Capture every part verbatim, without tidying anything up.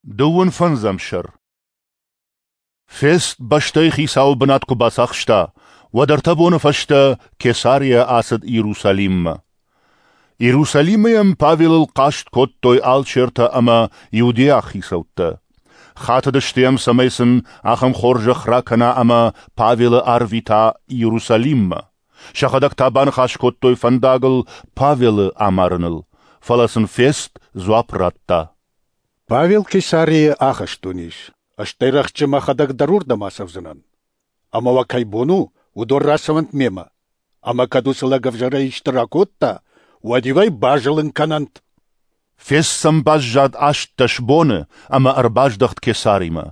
Дыууын фӕндзӕм сӕр. Фест бӕстӕйы хицауы бынат куы бацахста, уӕд ӕртӕ боны фӕстӕ Кесарийӕ ацыд Иерусалиммӕ. Иерусалимы йӕм Павелыл хъаст кодтой алчертӕ ӕмӕ иудейаг хицӕуттӕ. Хатыдысты йӕм, цӕмӕй сын ахӕм хорзӕх ракӕна ӕмӕ Павелы арвита Иерусалиммӕ. Сӕхӕдӕг та баныхас кодтой фӕндагыл Павелы амарыныл. Фӕлӕ сын Фест дзуапп радта: Павел Кесарийы ахӕстоны ис, стӕй рӕхджы мӕхӕдӕг дӕр уырдӕм ацӕудзынӕн. Ӕмӕ уӕ кӕй бон у, уыдон рацӕуӕнт мемӕ. Ӕмӕ кӕд уыцы лӕг ӕвзӕрӕй исты ракодта, уӕд-иу ӕй базылын кӕнӕнт. Фест сӕм баззад ӕстдӕс боны ӕмӕ ӕрбаздӕхт Кесаримӕ.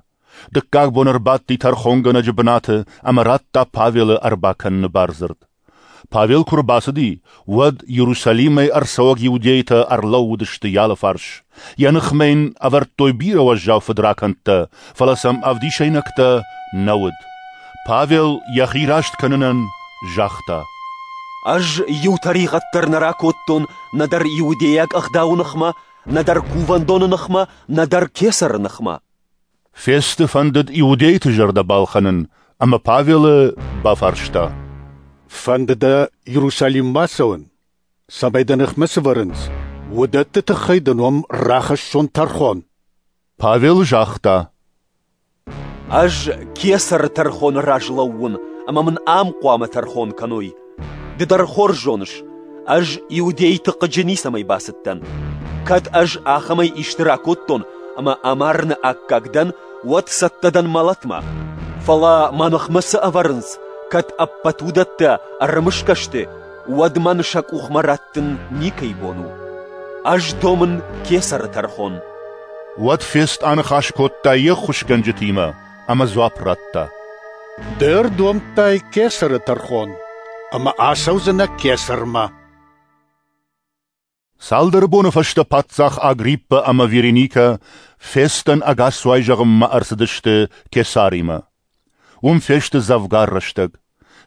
Дыккаг бон ӕрбадти тӕрхонгӕнӕджы бынаты ӕмӕ радта Павелы ӕрбакӕныны бардзырд. Павел куы рбацыди, уӕд Иерусалимӕй ӕрцӕуӕг иудейтӕ ӕрлӕууыдысты йӕ алыфарс. Йӕ ныхмӕ йын ӕвӕрдтой бирӕ уӕззау фыдракӕндтӕ, фӕлӕ сӕм ӕвдисӕйнӕгтӕ нӕ уыд. Павел йӕхи раст кӕнынӕн загъта: Ӕз иу тӕригъӕд дӕр нӕ ракодтон нӕдӕр иудейаг ӕгъдауы ныхмӕ, нӕдӕр кувӕндоны ныхмӕ, нӕдӕр кесӕры ныхмӕ. Фесты фӕндыд иудейты зӕрдӕ балхӕнын ӕмӕ Павелы бафарста: Фӕнды дӕ Иерусалиммӕ ацӕуын, цӕмӕй дӕ ныхмӕ цы вӕрынц, уыдӕтты тыххӕй дын уым рахӕссон тӕрхон? Павел загъта: Ӕз кесӕры тӕрхоны раз лӕууын, ӕмӕ мын ам хъуамӕ тӕрхон кӕной. Ды дӕр хорз зоныс, ӕз иудейты хъыджы ницӕмӕй бацыдтӕн. Кӕд ӕз ахӕмӕй исты ракодтон ӕмӕ амарыны аккаг дӕн, уӕд цӕттӕ дӕн мӕлӕтмӕ. Фӕлӕ мӕ ныхмӕ цы ӕвӕрынц, кӕд ӕппӕт уыдӕттӕ ӕрымысгӕ сты, уӕд мӕн сӕ къухмӕ раттын никӕй бон у. Ӕз домын кесӕры тӕрхон. Уӕд Фест аныхас кодта йе ххуысгӕнджытимӕ ӕмӕ дзуапп радта: Ды ӕрдомдтай кесӕры тӕрхон, ӕмӕ ацӕудзынӕ кесӕрмӕ. Цалдӕр боны фӕстӕ паддзах Агриппа ӕмӕ Вереникӕ Фестӕн ӕгасцуай зӕгъынмӕ ӕрцыдысты Кесаримӕ. Уым фесты дзӕвгар рӕстӕг.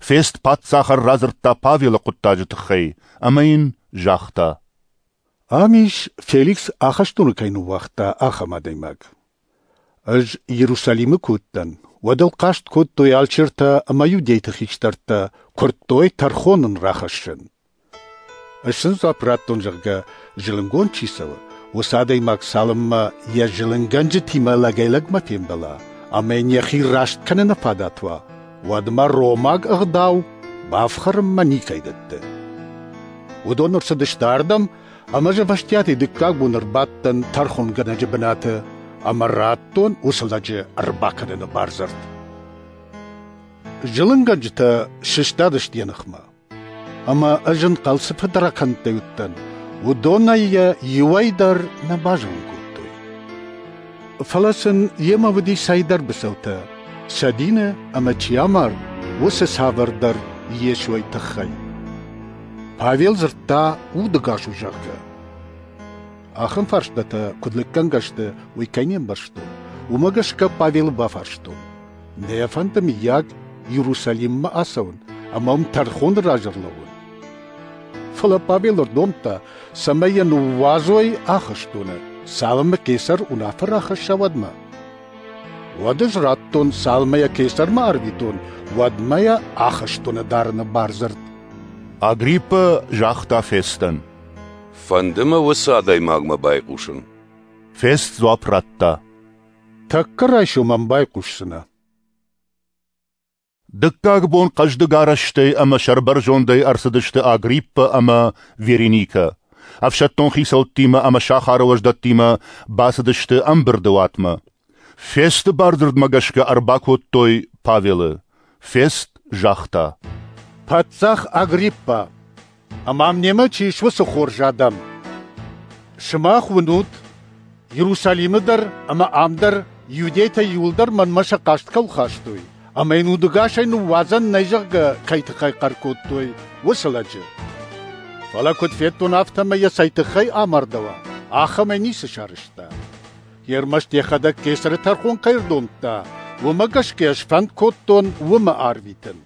Фест паддзахӕн радзырдта Павелы хъуыддаджы тыххӕй ӕмӕ йын загъта: Ам ис, Феликс ахӕстоны кӕй ныууагъта, ахӕм адӕймаг. Ӕз Иерусалимы куы уыдтӕн, уӕд ыл хъаст кодтой алчертӕ ӕмӕ иудейты хистӕртӕ, куырдтой тӕрхон ын рахӕссын. Ӕз сын дзуапп радтон, зӕгъгӕ, зылынгонд чи цӕуы, уыцы адӕймаг цалынмӕ йӕ зылынгӕнджытимӕ лӕгӕй-лӕгмӕ фембӕла ӕмӕ йын йӕхи раст кӕныны фадат уа, уӕдмӕ ромаг ӕгъдау бафхӕрынмӕ никӕй дӕтты. Уыдон ӕрцыдысты ардӕм, ӕмӕ ӕз ӕвӕстиатӕй дыккаг бон ӕрбадтӕн тӕрхонгӕнӕджы бынаты ӕмӕ радтон уыцы лӕджы ӕрбакӕныны бардзырд. Зылынгӕнджытӕ сыстадысты йӕ ныхмӕ, ӕмӕ ӕз ӕнхъӕл цы фыдракӕндтӕй уыдтӕн, уыдонӕй йӕ иуӕй дӕр нӕ базылын кодтой. Фӕлӕ сын йемӕ уыди цӕйдӕр быцӕутӕ, сӕ дины ӕмӕ чи амард, уыцы цавӕрдӕр Йесойы тыххӕй. Павел дзырдта, удӕгас у, зӕгъгӕ. Ахӕм фарстатӕ куыд лыггӕнгӕ сты, уый кӕй не мбӕрстон, уымӕ гӕсгӕ Павелы бафарстон: Нӕ фӕнды, мыййаг, Иерусалиммӕ ацӕуын ӕмӕ уым тӕрхоны раз ӕрлӕууын? Фӕлӕ Павел ӕрдомдта, цӕмӕй йӕ ныууадзой ахӕстоны, цалынмӕ кесӕр уынаффӕ рахӕсса, уӕдмӕ. Уӕд ӕз радтон, цалынмӕ йӕ кесӕрмӕ арвитон, уӕдмӕ йӕ ахӕстоны дарыны бардзырд. Агриппа загъта Фестӕн: Фӕнды мӕ уыцы адӕймагмӕ байхъусын. Фест дзуапп радта: Тӕккӕ райсом ӕм байхъусдзынӕ. Дыккаг бон хъӕздыг арӕзтӕй ӕмӕ сӕрбӕрзондӕй ӕрцыдысты Агриппа ӕмӕ Вереникӕ. Ӕфсӕддон хицӕуттимӕ ӕмӕ сахары уӕздӕттимӕ бацыдысты ӕмбырды уатмӕ. Фесты бардзырдмӕ гӕсгӕ ӕрбакодтой Павелы. Фест загъта: Паддзах Агриппа, ӕмӕ ам немӕ чи ис, уыцы хорз адӕм! Сымах уынут, Иерусалимы дӕр ӕмӕ ам дӕр иудейтӕ иуылдӕр мӕнмӕ сӕ хъаст кӕуыл хастой, ӕмӕ йын удӕгасӕй ныууадзӕн нӕй, зӕгъгӕ, кӕй тыххӕй хъӕр кодтой, уыцы лӕджы. Фӕлӕ куыд федтон, афтӕмӕй йӕ цӕй тыххӕй амардӕуа, ахӕмӕй ницы сарӕзта. Ӕрмӕст йӕхӕдӕг кесӕры тӕрхон кӕй ӕрдомдта, уымӕ гӕсгӕ ӕз фӕнд кодтон уымӕ арвитын.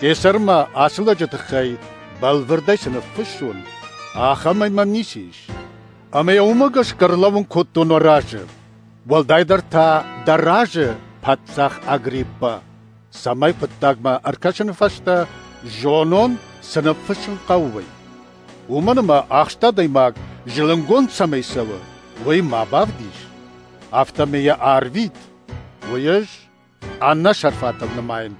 Кесӕрмӕ ацы лӕджы тыххӕй бӕлвырдӕй цы ныффыссон, ахӕмӕй мӕм ницы ис. Ӕмӕ йӕ уымӕ гӕсгӕ ӕрлӕууын кодтон уӕ разы, уӕлдайдӕр та дӕ разы, паддзах Агриппа, цӕмӕй хъуыддагмӕ ӕркӕсыны фӕстӕ зонон, цы ныффыссын хъӕуы, уый. Уымӕн ӕмӕ ахст адӕймаг зылынгонд цӕмӕй цӕуы, уый ма бавдис, афтӕмӕй йӕ арвит, уый ӕз ӕнӕсӕрфатыл нымайын.